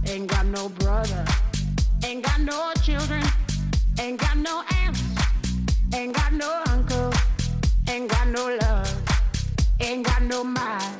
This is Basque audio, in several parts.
ain't got no brother, ain't got no children, ain't got no aunts, ain't got no uncle, ain't got no love, ain't got no mind.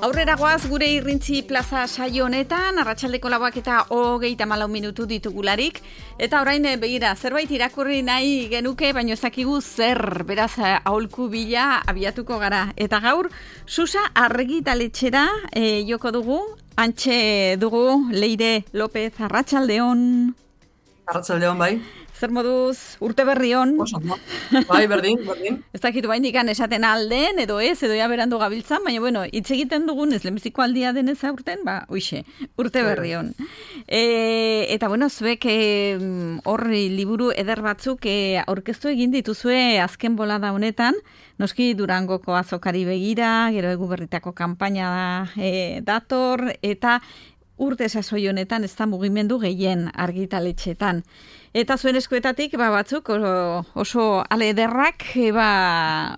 Aurrera goaz gure Irrintzi plaza saio honetan, arratsaldeko 4:34 ditugularik, eta orain begira, zerbait irakurri nahi genuke, baino ez dakigu zer, beraz aholku bila abiatuko gara. Eta gaur, Susa argitaletxera joko dugu, antxe dugu Leire López, arratsaldeon. Arratsaldeon bai. Zer moduz, urte berri on? Bai, berdin. Ez dakitu baindikan esaten alden, edo ja berandu gabiltzan, baina bueno, hitz egiten dugun ez lehenbiziko aldia denez aurten, hoixe, urte berri on. Eta bueno, zuek horri liburu eder batzuk aurkeztu egin dituzue azken bolada honetan, noski Durangoko azokari begira, gero Eguberritako kanpaina dator, eta urte sasoi honetan ez da mugimendu gehien argitaletxetan. Eta zuen eskuetatik batzuk oso ale ederrak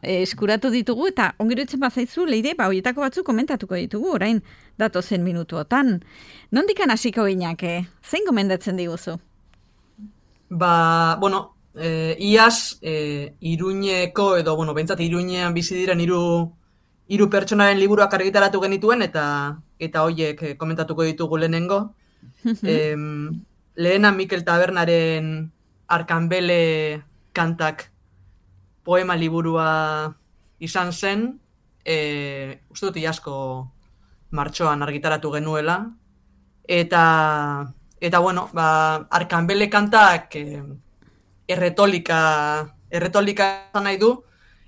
eskuratu ditugu, eta ongirutzen bazaizu, Leire, horietako batzuk komentatuko ditugu, orain datozen minutuotan. Nondikan hasiko ginake? Zein gomendatzen diguzu? Iaz, Iruñeko, edo, behintzat Iruñean bizi diren hiru pertsonaren liburuak argitaratu genituen, eta horiek komentatuko ditugu lehenengo. Lehena Mikel Tabernaren Arkanbele kantak poema liburua izan zen, uste dut iazko martxoan argitaratu genuela, eta Arkanbele kantak erretolika izan nahi du,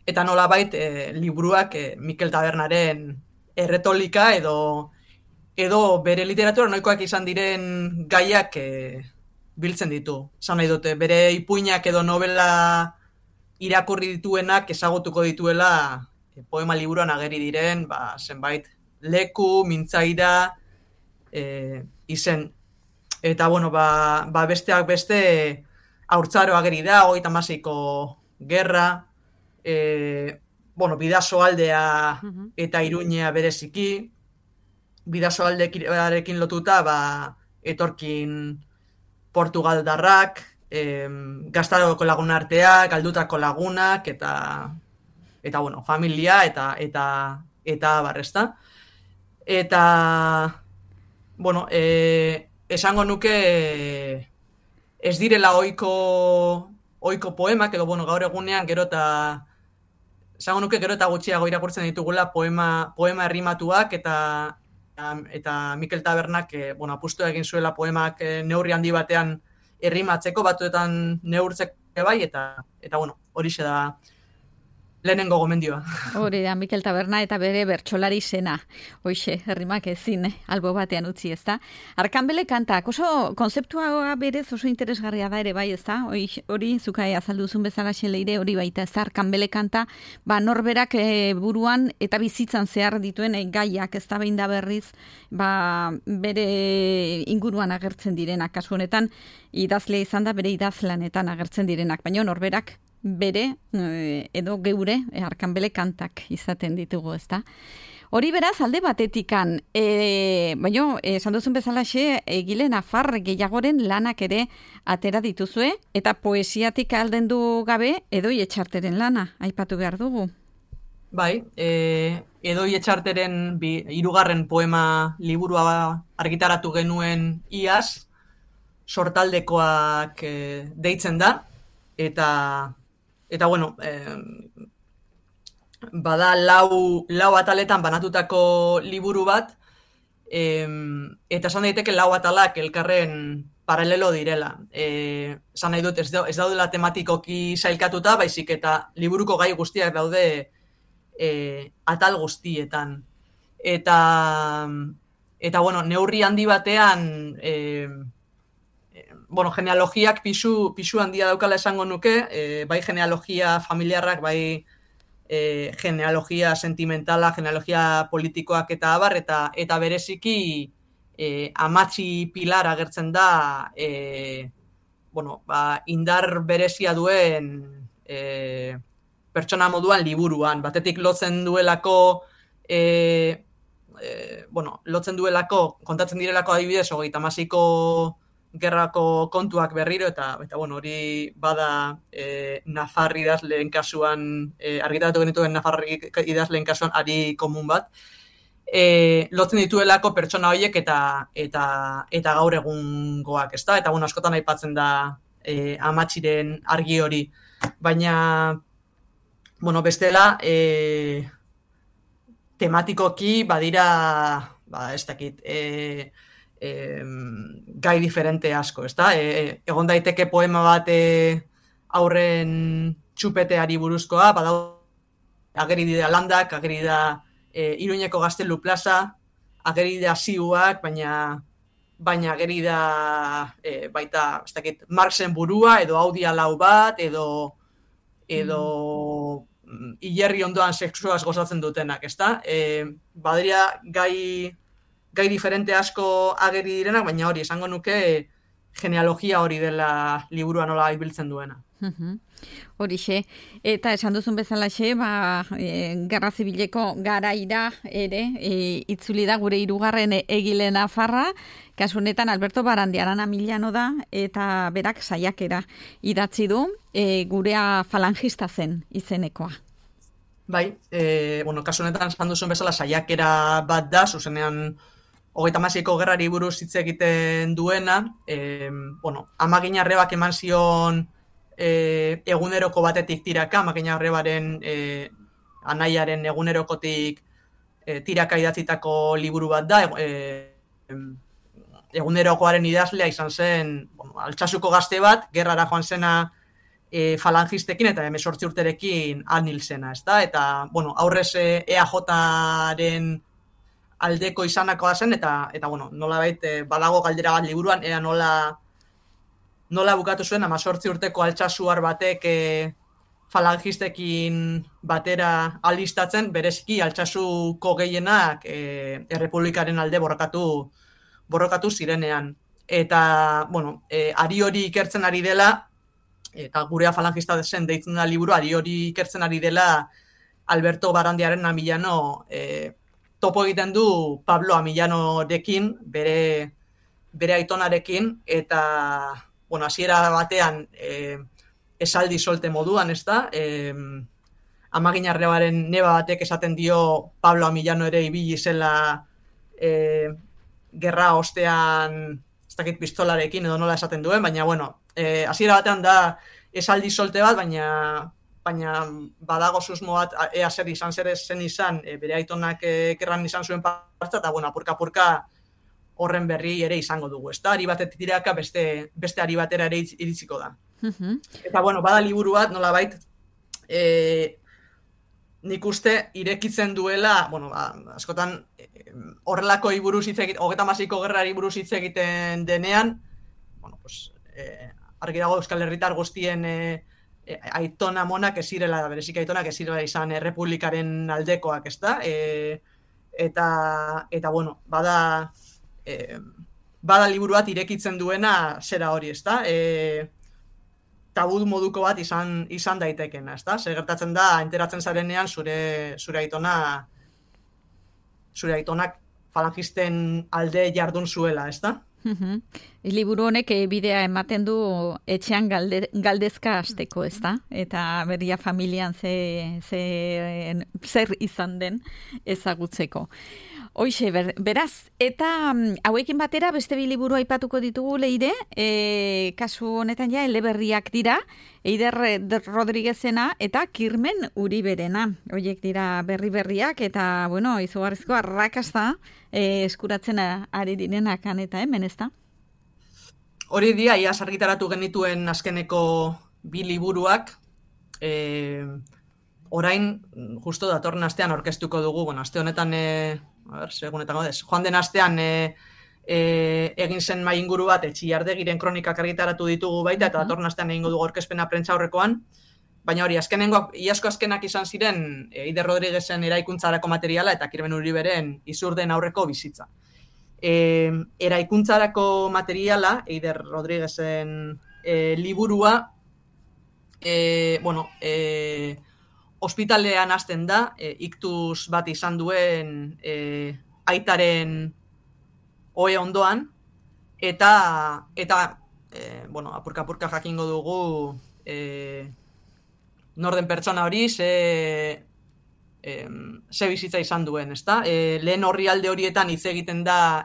eta nolabait liburuak Mikel Tabernaren erretolika edo bere literatura noikoak izan diren gaiak biltzen ditu. Esan nahi dute, bere ipuinak edo novela irakurri dituenak ezagutuko dituela poema liburuan ageri diren, zenbait leku, mintzaira, izen. Eta, besteak beste haurtzaro ageri da, 36ko gerra, Bidasoaldea eta Iruñea bereziki, Bidasoaldearekin lotuta, etorkin portugaldarrak, Gaztaroko laguna arteak, galdutako lagunak, eta familia, eta barrezta. Eta, esango nuke ez direla ohiko poemak, edo, gaur egunean gero eta gutxiago irakurtzen ditugula poema errimatuak, eta Mikel Tabernak apustu egin zuela poemak neurri handi batean errimatzeko, batzuetan neurtzeko bai, eta horixe da lehenengo gomendioa. Hori da, Mikel Taberna eta bere bertsolari zena. Hoixe, herrimak ezin, albo batean utzi, ezta? Arkanbele kantak, oso konzeptua berez oso interesgarria da ere bai, ezta? Hori, zukai azalduzun bezala Leire, hori baita, ezta? Arkanbele kanta, norberak buruan eta bizitzan zehar dituen gaiak, ezta behin da berriz, bere inguruan agertzen direnak, kasu honetan, idazlea izan da, bere idazlanetan agertzen direnak, baina norberak bere edo geure Arkanbele kantak izaten ditugu, ezta? Hori beraz alde batetikan, baina esan duzun bezalaxe egile nafar gehiagoren lanak ere atera dituzue, eta poesiatik aldendu gabe Edoi Etxarteren lana aipatu behar dugu. Bai, Edoi Etxarteren 3. poema liburua argitaratu genuen iaz, Sortaldekoak deitzen da, eta bada lau ataletan banatutako liburu bat, eta esan daiteke 4 atalak elkarren paralelo direla. Esan nahi dut, ez daudela tematikoki sailkatuta, baizik eta liburuko gai guztiak daude atal guztietan. Eta neurri handi batean, genealogiak pisu handia daukala esango nuke, bai genealogia familiarrak, bai genealogia sentimentala, genealogia politikoak eta abar, eta bereziki Amatxi Pilar agertzen da indar berezia duen pertsona moduan liburuan. Batetik lotzen duelako kontatzen direlako adibidez 36ko gerrako kontuak berriro, eta hori bada Nafar idazleen kasuan, argitaratu genituen Nafar idazleen kasuan ari komun bat, lotzen dituelako pertsona horiek eta gaur egungoak, ezta? Eta askotan aipatzen da Amatxiren argi hori. Baina, bestela, tematikoki badira, ez dakit, gai diferente asko, ezta? Egon daiteke poema bat aurren txupeteari buruzkoa, ageri dira landak, ageri da Iruñeko Gaztelu plaza, ageri da ziuak, baina ageri da baita, ez dakit, Marxen burua, edo Audi lau bat, edo hilerri ondoan sexuaz gozatzen dutenak, ezta? Badira gai diferente asko ageri direnak, baina hori, esango nuke genealogia hori dela liburua nola ibiltzen duena. Horixe, eta esan duzun bezalaxe, Gerra Zibileko garaira ere, itzuli da gure 3. egile nafarra, kasu honetan Alberto Barandiarana Milano da, eta berak saiakera idatzi du, gurea falangista zen izenekoa. Bai, kasu honetan esan duzun bezala saiakera bat da, zuzenean 36ko gerrari buruz hitz egiten duena, Amagin Arrebak eman zion eguneroko batetik tiraka, Amagin Arrebaren anaiaren egunerokotik tiraka idatzitako liburu bat da, egunerokoaren idazlea izan zen Altsasuko gazte bat, gerrara joan zena falangistekin eta 18 urterekin anil zena, ezta? Eta, aurrez EAJaren aldeko izanakoa zen, eta nolabait badago galdera bat liburuan, ea nola bukatu zuen 18 urteko Altsasuar batek falangistekin batera alistatzen, bereziki Altsasuko gehienak errepublikaren alde borrokatu zirenean. Eta, ari hori ikertzen ari dela, eta gurea falangista zen deitzen da liburu, ari hori ikertzen ari dela Alberto Barandiarana Milano topo egiten du Pablo Amillanorekin, bere aitonarekin, eta hasiera batean esaldi solte moduan, ezta? Amagin Arrebaren neba batek esaten dio Pablo Amillano ere ibili zela gerra ostean, ez dakit pistolarekin edo nola esaten duen, baina hasiera batean da esaldi solte bat, baina badago susmo bat ea zer zen izan, bere aitonak gerran izan zuen partza, eta apurka horren berri ere izango dugu, ezta? Ari batetik tiraka beste ari batera ere iritsiko da. Eta bada liburu bat, nolabait, nik uste irekitzen duela, askotan horrelako buruz hitz egiten, 36ko gerrari buruz hitz egiten denean, argi dago Euskal Herritar guztien aitona monak ez zirela, berezik aitonak ez zirela izan errepublikaren aldekoak, ezta? Eta bada liburu bat irekitzen duena zera hori, ezta? Tabu moduko bat izan daitekena, ezta? Zer gertatzen da, enteratzen zarenean zure aitonak falangisten alde jardun zuela, ezta? Liburu honek bidea ematen du etxean galdezka hasteko, ezta? Eta berria familian zer izan den ezagutzeko. Hoixe, beraz, eta hauekin batera beste bi liburu aipatuko ditugu Leire, kasu honetan ja eleberriak dira, Eider Rodriguezena eta Kirmen Uriberena. Hoiek dira berriak eta, izugarrizko arrakasta eskuratzen ari direnak han eta hemen, ezta? Hori dira, iaz argitaratu genituen azkeneko bi liburuak, orain, justo datorren astean aurkeztuko dugu, aste honetan, joan den astean egin zen mai inguru bat, Txillardegiren kronikak argitaratu ditugu baita, eta datorren astean egingo dugu aurkezpena prentsaurrekoan, baina hori, iazko azkenak izan ziren Eider Rodriguezen eraikuntzarako materiala eta Kirmen Uriberen Izurden aurreko bizitza. eraikuntzarako materiala, Eider Rodriguezen liburua, ospitalean hasten da, iktus bat izan duen aitaren ohe ondoan, eta apurka-apurka jakingo dugu norden pertsona hori ze bizitza izan duen, ezta? Lehen orrialde horietan hitz egiten da,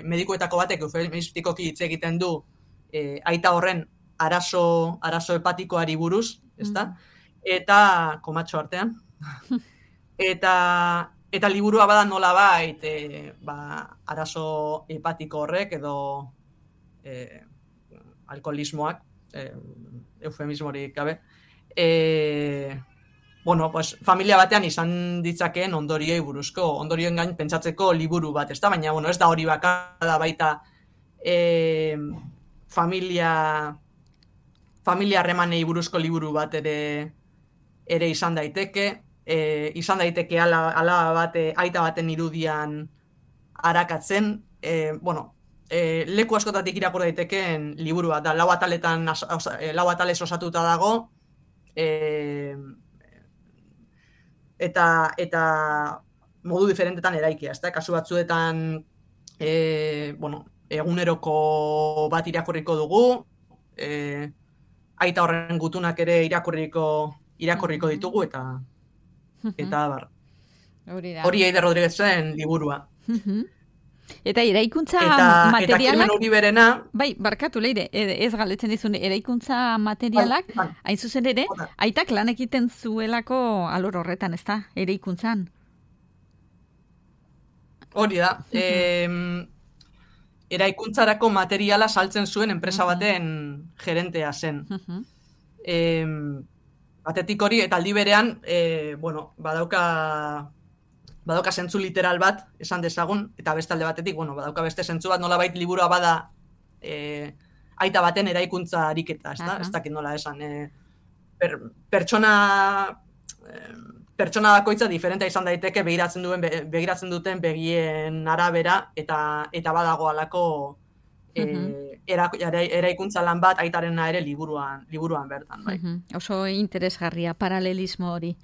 medikuetako batek eufemistikoki hitz egiten du aita horren arazo hepatikoari buruz, ezta? Eta komatxo artean. Eta liburua bada nolabait arazo hepatiko horrek edo alkoholismoak, eufemismorik gabe, familia batean izan ditzakeen ondorioei buruzko, ondorioen gain pentsatzeko liburu bat, ezta? Baina, ez da hori bakarra baita familia harremanei buruzko liburu bat ere izan daiteke, ala bat aita baten irudian arakatzen, leku askotatik irakur daitekeen liburu bat da, 4 atalez osatuta dago, eta modu diferentetan eraikia, ezta? Kasu batzuetan eguneroko bat irakurriko dugu, aita horren gutunak ere irakurriko ditugu, eta hori Eider Rodriguezen liburua. Eta eraikuntza materialak... Eta Kirmen Uriberena... Bai, barkatu Leire, ez galdetzen dizun, eraikuntza materialak, hain zuzen ere, aitak lan egiten zuelako alor horretan, ez da, eraikuntzan? Hori da, eraikuntzarako materiala saltzen zuen enpresa baten gerentea zen. Batetik hori, eta aldi berean, badauka zentzu literal bat, esan dezagun, eta beste alde batetik, badauka beste zentzu bat, nolabait liburua bada aita baten eraikuntza ariketa, ez dakit nola esan. Pertsona bakoitza diferentea izan daiteke begiratzen duten begien arabera, eta badago alako eraikuntza lan bat aitarena ere liburuan bertan. Bai. Oso interesgarria paralelismo hori.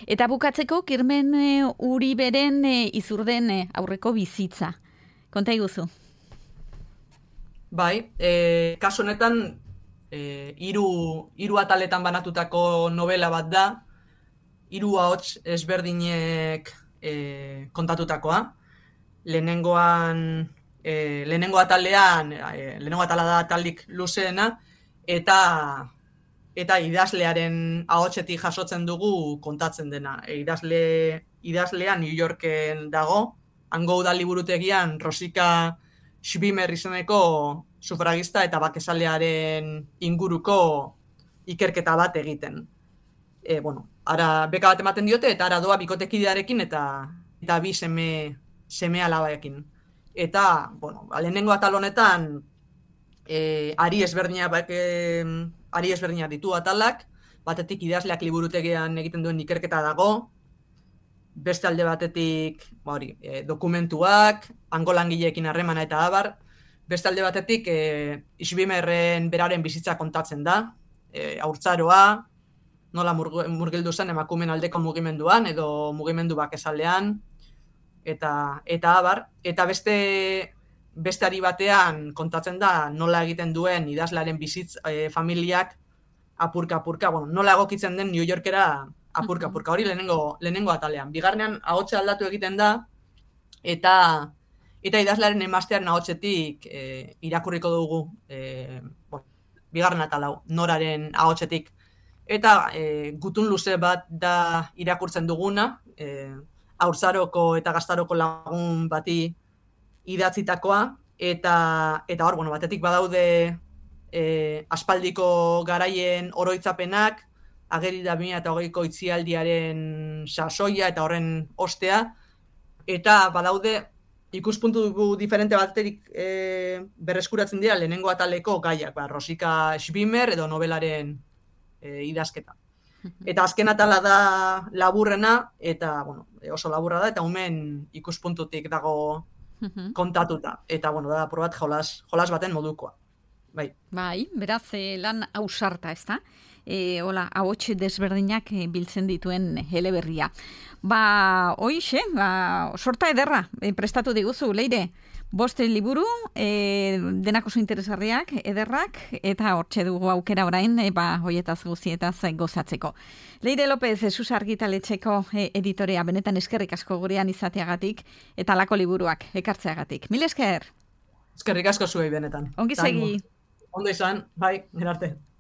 Eta bukatzeko Kirmen Uriberen Izurden aurreko bizitza. Konta iguzu. Bai, kasu honetan 3 ataletan banatutako novela bat da, 3 ahots ezberdinek kontatutakoa. Lehenengo atala da atalik luzeena, eta idazlearen ahotsetik jasotzen dugu kontatzen dena. Idazlea New Yorken dago, hango udal liburutegian Rosika Schwimmer izeneko sufragista eta bakezalearen inguruko ikerketa bat egiten. Ara beka bat ematen diote, eta ara doa bikotekidearekin eta 2 seme alabaekin. Eta, lehenengo atal honetan, ari ezberdinak ditu atalak, batetik idazleak liburutegian egiten duen ikerketa dago, beste alde batetik dokumentuak, hango langileekin harremana eta abar, beste alde batetik Schwimmerren beraren bizitza kontatzen da, haurtzaroa, nola murgildu zen emakumeen aldeko mugimenduan, edo mugimendu bakezalean, eta abar, eta beste ari batean kontatzen da nola egiten duen idazlaren familiak apurka-apurka, nola egokitzen den New Yorkera apurka-apurka, hori lehenengo atalean. Bigarrenean ahotsa aldatu egiten da, eta idazlaren emaztearen ahotsetik irakurriko dugu, bigarren atalau, noraren ahotsetik, eta gutun luze bat da irakurtzen duguna, haurzaroko eta gaztaroko lagun bati idatzitakoa, eta hor, batetik badaude aspaldiko garaien oroitzapenak, ageri da 2020ko itzialdiaren sasoia eta horren ostea, eta badaude ikuspuntu diferente batetik berreskuratzen dira lehenengo ataleko gaiak, Rosika Schwimmer edo novelaren idazketa. Eta azken atala da laburrena, eta oso laburra da, eta umen ikuspuntutik dago kontatuta. Eta, bueno, da, probat jolas baten modukoa. Bai. Bai, beraz, lan ausarta, ez da? Hola, ahotxe desberdinak biltzen dituen eleberria. Hoixe, sorta ederra, prestatu diguzu, Leire. 5 liburu, denak oso interesgarriak, ederrak, eta hortxe dugu aukera orain, hoietaz guzietaz gozatzeko. Leire López, Jesús Argitaletxeko editorea, benetan eskerrik asko gurean izateagatik, eta lako liburuak ekartzeagatik. Mil esker! Eskerrik asko zuei benetan. Ongi segi! Ondo izan, bai, gerarte.